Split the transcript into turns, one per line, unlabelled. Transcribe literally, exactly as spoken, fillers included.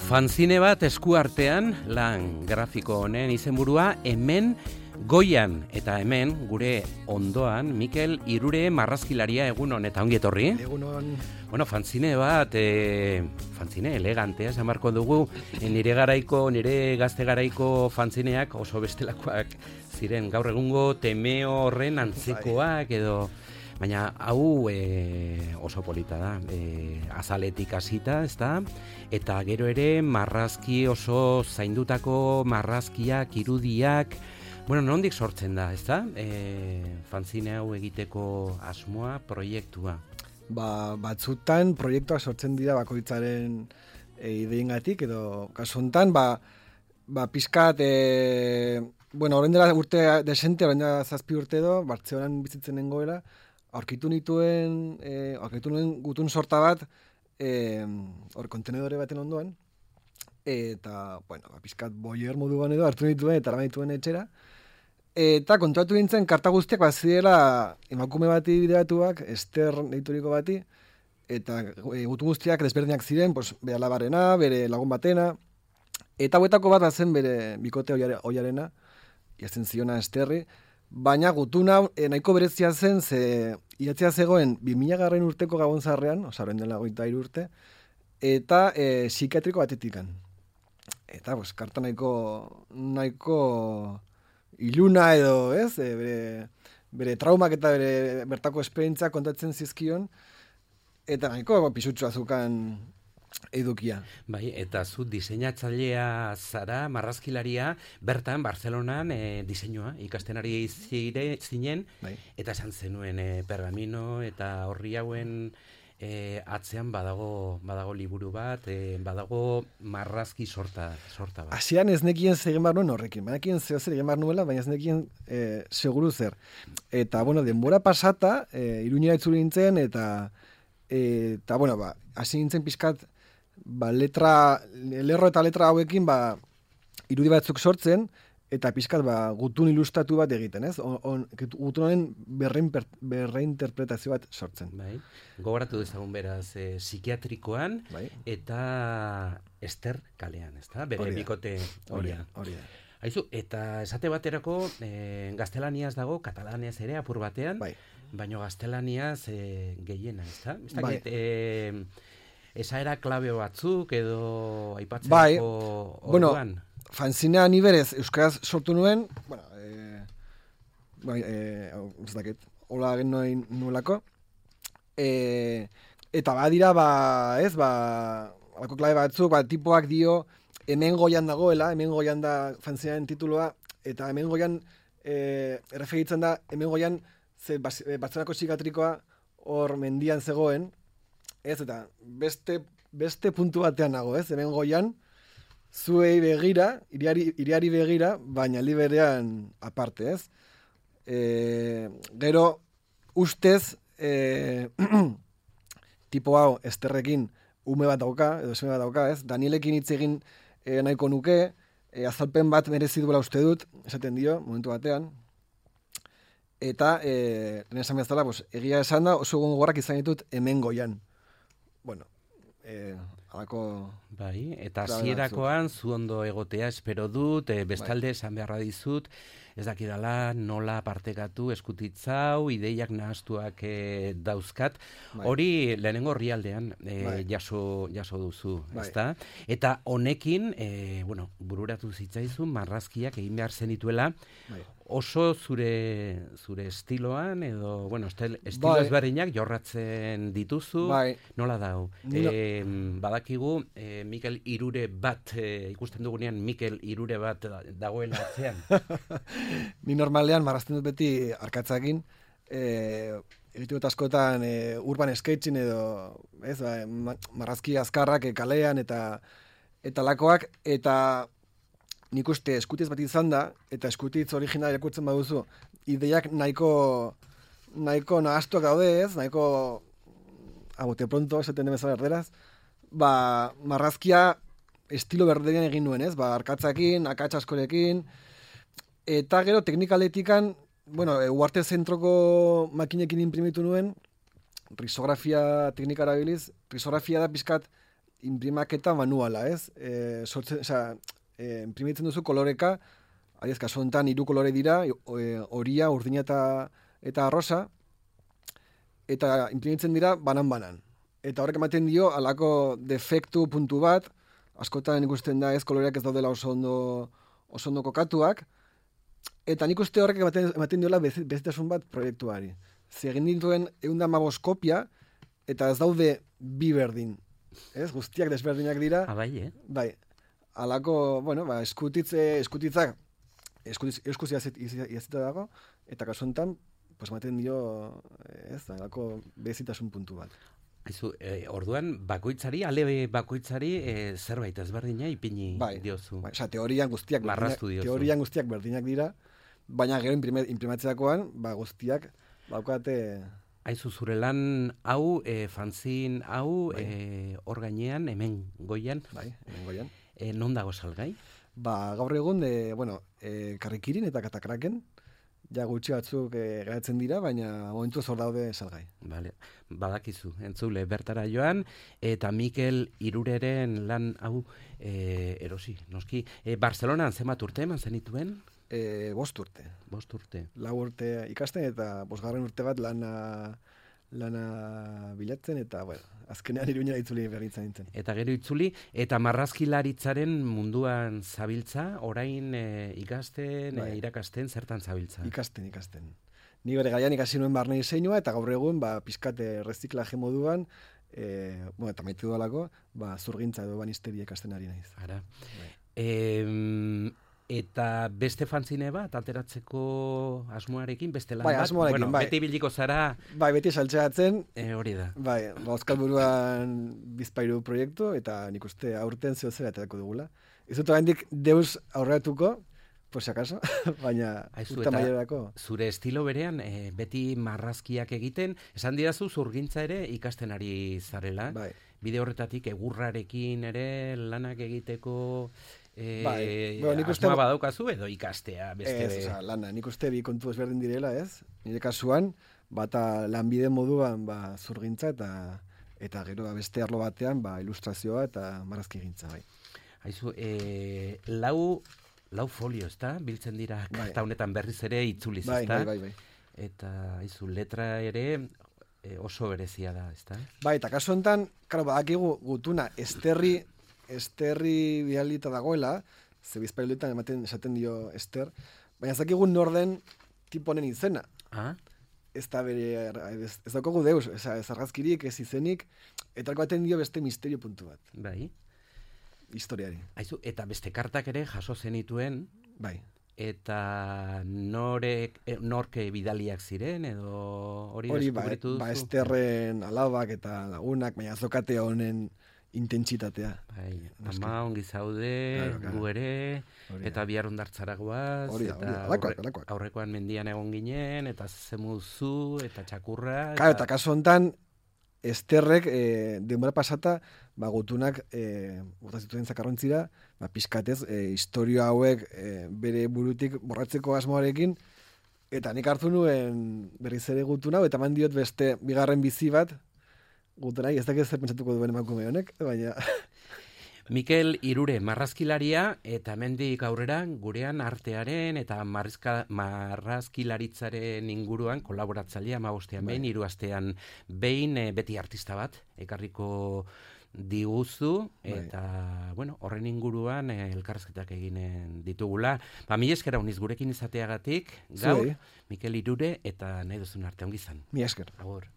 Fanzine bat esku artean, lan grafiko honen izenburua, hemen goian, eta hemen gure ondoan, Mikel Irure marrazkilaria egunon, eta ongi etorri.
Egunon.
Bueno, fanzine bat, e, fanzine elegantea, esan barko dugu, e, nire garaiko, nire gazte garaiko fanzineak oso bestelakoak ziren, gaur egungo temeo horren antzekoak edo... Baina hau e, oso polita da, e, azaletik hasita, ezta? Eta gero ere marrazki oso zaindutako marrazkiak, irudiak, bueno, nondik sortzen da, ezta? E, fanzine hau egiteko asmoa, proiektua.
Ba, batzutan proiektuak sortzen dira bakoitzaren e, ideingatik, edo kasu honetan, ba, ba pizkat, e, bueno, orain dela urte desente, orain dela zazpi urte edo, Bartzelonan bizitzen nengoela, aurkitu nituen, eh, aurkitu nuen gutun sorta bat, eh, hor kontenedore baten ondoan, eta, bueno, pizkat boier moduan edo hartu nituen eta eraman dituen etxera, eta kontratu nintzen karta guztiak bat zirela emakume bati bideratuak, Ester deituriko bati, eta e, gutun guztiak desberdinak ziren, pues, bere alabarena, bere lagun batena, eta hauetako bat zen bere bikote oiarena, jazen ziona Esterri, baina gutuna e, nahiko berezia zen, ze idatzia zegoen bi mila garren urteko gabon zarrean, oza, horren dela hogeita hiru urte, eta e, psikiatriko batetikan. Eta, pues, karta nahiko, nahiko iluna edo, ez, e, bere, bere traumak eta bere bertako esperientzia kontatzen zizkion, eta nahiko pisutsua zukan edukia.
Bai, eta zu diseinatzailea zara, marrazkilaria, bertan, Bartzelonan e, diseinua ikasten ari zire, zinen, bai. Eta esan zenuen e, pergamino eta horri hauen e, atzean badago, badago liburu bat, e, badago marrazki sorta, sorta bat.
Hasian ez nekien zegin bar nuen horrekin, banakien zeo zer egin bar nuela, baina ez nekien e, seguru zer. Eta, bueno, denbora pasata, e, Iruñera itzuli nintzen, eta, e, eta bueno, ba, hasi nintzen pizkat, ba, letra, lerro eta letra hauekin, ba, irudi batzuk sortzen, eta pizkat, ba, gutun ilustatu bat egiten, ez? On, on, gutun honen berreinterpretazio bat sortzen.
Bai. Gogoratu dezagun beraz, e, psikiatrikoan, bai. Eta Ester kalean, ezta? Bere bikote horia. Horia. Haizu, eta esate baterako, e, gaztelaniaz dago, katalaniaz ere, apur batean, bai. Baina gaztelaniaz e, gehiena, ezta? Ez dakit, bai. e, Esaera klabe batzuk edo aipatzeko bai, orduan?
Bueno, fanzinea ni berez euskaraz sortu nuen, bueno, eh, bai, eh, ez dakit, hola gen noin nuelako, eh, eta badira, ba, ez, ba, alako klabe batzuk, ba, tipoak dio, hemen goian dagoela, hemen goian da fanzinearen tituloa, eta hemen goian, eh, erreferitzen da, hemen goian, ze, Bartzelonako psikiatrikoa hor mendian zegoen, ez, eta beste, beste puntu batean nago, ez, hemen goian, zuei begira, iriari, iriari begira, baina liberean aparte, ez. E, gero, ustez, e, tipo hau, Esterrekin, ume bat dauka, edo seme bat dauka, ez, Danielekin hitz egin e, nahiko nuke, e, azalpen bat merezi duela uste dut, esaten dio, momentu batean, eta, e, lehen esan bezala, pues, egia esan da, oso gogorrak izan ditut hemen goian. Bueno, eh, alako...
Bai, eta hasierakoan zu ondo egotea espero dut, e, bestalde esan beharra dizut, ez dakidala nola partekatu eskutitzau, ideiak nahastuak e, dauzkat, bai. Hori lehenengo orrialdean e, bai. jaso, jaso duzu, bai. Ezta? Eta honekin, e, bueno, bururatu zitzaizun, marrazkiak egin behar zenituela, bai. Oso zure zure estiloan edo, bueno, estil, estilo bai. Ezberdinak jorratzen dituzu, bai. Nola dau? No. E, badakigu, e, Mikel Irure bat, e, ikusten dugunean Mikel Irure bat dagoela atzean.
Ni normalean marrazten dut beti arkatzakin, e, egiten dut askotan e, urban sketching edo, ez, ba, marrazki azkarrak e, kalean eta eta lakoak, eta nik uste eskutiz bat izan da, eta eskutitz original irakurtzen baduzu, ideiak nahiko nahiko nahastuak daude, ez, nahiko abote pronto, esaten demezala erderaz, ba, marrazkia estilo berderian egin nuen, ez, ba, arkatzakin, akats askorekin, eta gero teknikaletikan, bueno, Uarte zentroko makinekin imprimitu nuen, risografia teknika erabiliz, risografia da pizkat imprimaketa manuala, ez? E, sortzen, oza, e, imprimitzen duzu koloreka, adiez, kasu honetan hiru kolore dira, horia, urdina eta, eta arrosa, eta imprimitzen dira banan-banan. Eta horrek ematen dio, alako defektu puntu bat, askotan ikusten da ez koloreak ez daudela oso ondo, oso ondo kokatuak, eta nik uste horrek ematen, ematen diola bezitasun bat proiektuari. Zegin dituen egun da hamabost kopia, eta ez daude bi berdin. Ez, guztiak desberdinak dira.
Ah, bai, eh?
Bai. Alako, bueno, ba, eskutitze, eskutitzak, eskutitza iazita dago, eta kasu honetan, pues ematen dio, ez, alako bezitasun puntu bat.
Aizu, eh, orduan, bakoitzari, ale bakoitzari, eh, zerbait ezberdina ipini
bai,
diozu.
Bai, oza, teorian guztiak
berdinak,
teorian guztiak berdinak dira, baina gero imprimatzeakoan, ba, guztiak, baukate...
Aizu, zure lan hau, e, fanzin hau,
bai.
e, hor gainean, hemen goian.
Bai, hemen goian.
E, non dago salgai?
Ba, gaur egun, e, bueno, e, karrikirin eta katakraken, ja gutxi batzuk e, geratzen dira, baina momentu zor daude salgai.
Vale. Badakizu, entzule, bertara joan, eta Mikel Irureren lan hau e, erosi, noski. E, Barcelonan zenbat urte eman zenituen?
E, bost urte.
Bost urte.
Lau urte ikasten eta bosgarren urte bat lana, lana bilatzen eta, bueno, azkenean Iruña itzuli berritzen nintzen.
Eta gero itzuli, eta marrazkilaritzaren munduan zabiltza, orain e, ikasten,
bai.
e, irakasten, zertan zabiltza?
Ikasten, ikasten. Ni bere gaian ikasi nuen barne diseinua eta gaur egun, ba, pizkate reziklaje moduan, e, bueno, eta maitu dalako, ba, zurgintza edo banisteria ikasten ari naiz.
Ara.
Bai.
E, eta beste fanzine bat ateratzeko asmoarekin, beste lan
bai,
bat?
Asmoarekin,
bueno,
bai.
Beti biliko zara...
Bai, beti saltzeatzen.
E, hori da.
Bai, ba, Euskal Buruan bizpairu proiektu, eta nik uste aurten zeo zera aterako dugula. Ez dut oraindik deus aurreratuko, por si acaso, baina urta maiorako.
Zure estilo berean, e, beti marrazkiak egiten, esan didazu zurgintza ere ikasten ari zarela.
Bai.
Bide horretatik egurrarekin ere lanak egiteko... E,
bai, bueno, nik uste...
asmoa badaukazu edo ikastea beste...
Ez, oza, lana, nik uste bi kontu ezberdin direla, ez? Nire kasuan, bata lanbide moduan ba, zurgintza eta eta gero ba, beste arlo batean ba, ilustrazioa eta marrazki gintza, bai.
Haizu, e, lau, lau folio, ezta? Biltzen dira
bai.
Karta honetan berriz ere itzuliz,
bai,
ezta?
bai, bai, bai.
Eta, haizu, letra ere e, oso berezia da, ezta?
Bai, eta kasu honetan, karo, badakigu gutuna esterri esterri bialita dagoela, ze bizpailuetan ematen esaten dio ester, baina zakigun norden tiponen izena.
Ah?
Ez da bere, ez, ez daukagu deus, ez, ez argazkirik, ez izenik, eta baten dio beste misterio puntu bat.
Bai.
Historiari.
Haizu, eta beste kartak ere jaso zenituen,
bai.
Eta norek, norke bidaliak ziren, edo hori
hori ba,
deskubritu duzu?
Ba, esterren alabak eta lagunak, baina azokate honen intentsitatea.
Bai, ama ongi zaude,
claro, claro.
gu ere,
Hori
eta bihar ondartzara guaz,
hori da, hori da, alakoak, alakoak.
Aurrekoan mendian egon ginen, eta zemuzu, eta txakurra.
Claro, eta kasu honetan, esterrek, e, denbora pasata, ba, gutunak, e, bota zituen zakarrontzira, ba, pizkatez, e, historia hauek e, bere burutik borratzeko asmoarekin, eta nik hartu nuen berriz ere gutuna, eta eman diot beste bigarren bizi bat, gutunai, ez dakit zer pentsatuko duen emakume honek, baina...
Mikel Irure, marrazkilaria, eta hemendik aurrera gurean artearen eta marrizka, marrazkilaritzaren inguruan kolaboratzailea hamabostean behin, hiru astean behin, e, beti artista bat, ekarriko diguzu, eta, bai. bueno, horren inguruan e, elkarrezketak eginen ditugula. Ba, mi eskera uniz gurekin izateagatik, gaur, Mikel Irure, eta nahi duzun arte, ongi izan.
Mi esker.
Agur.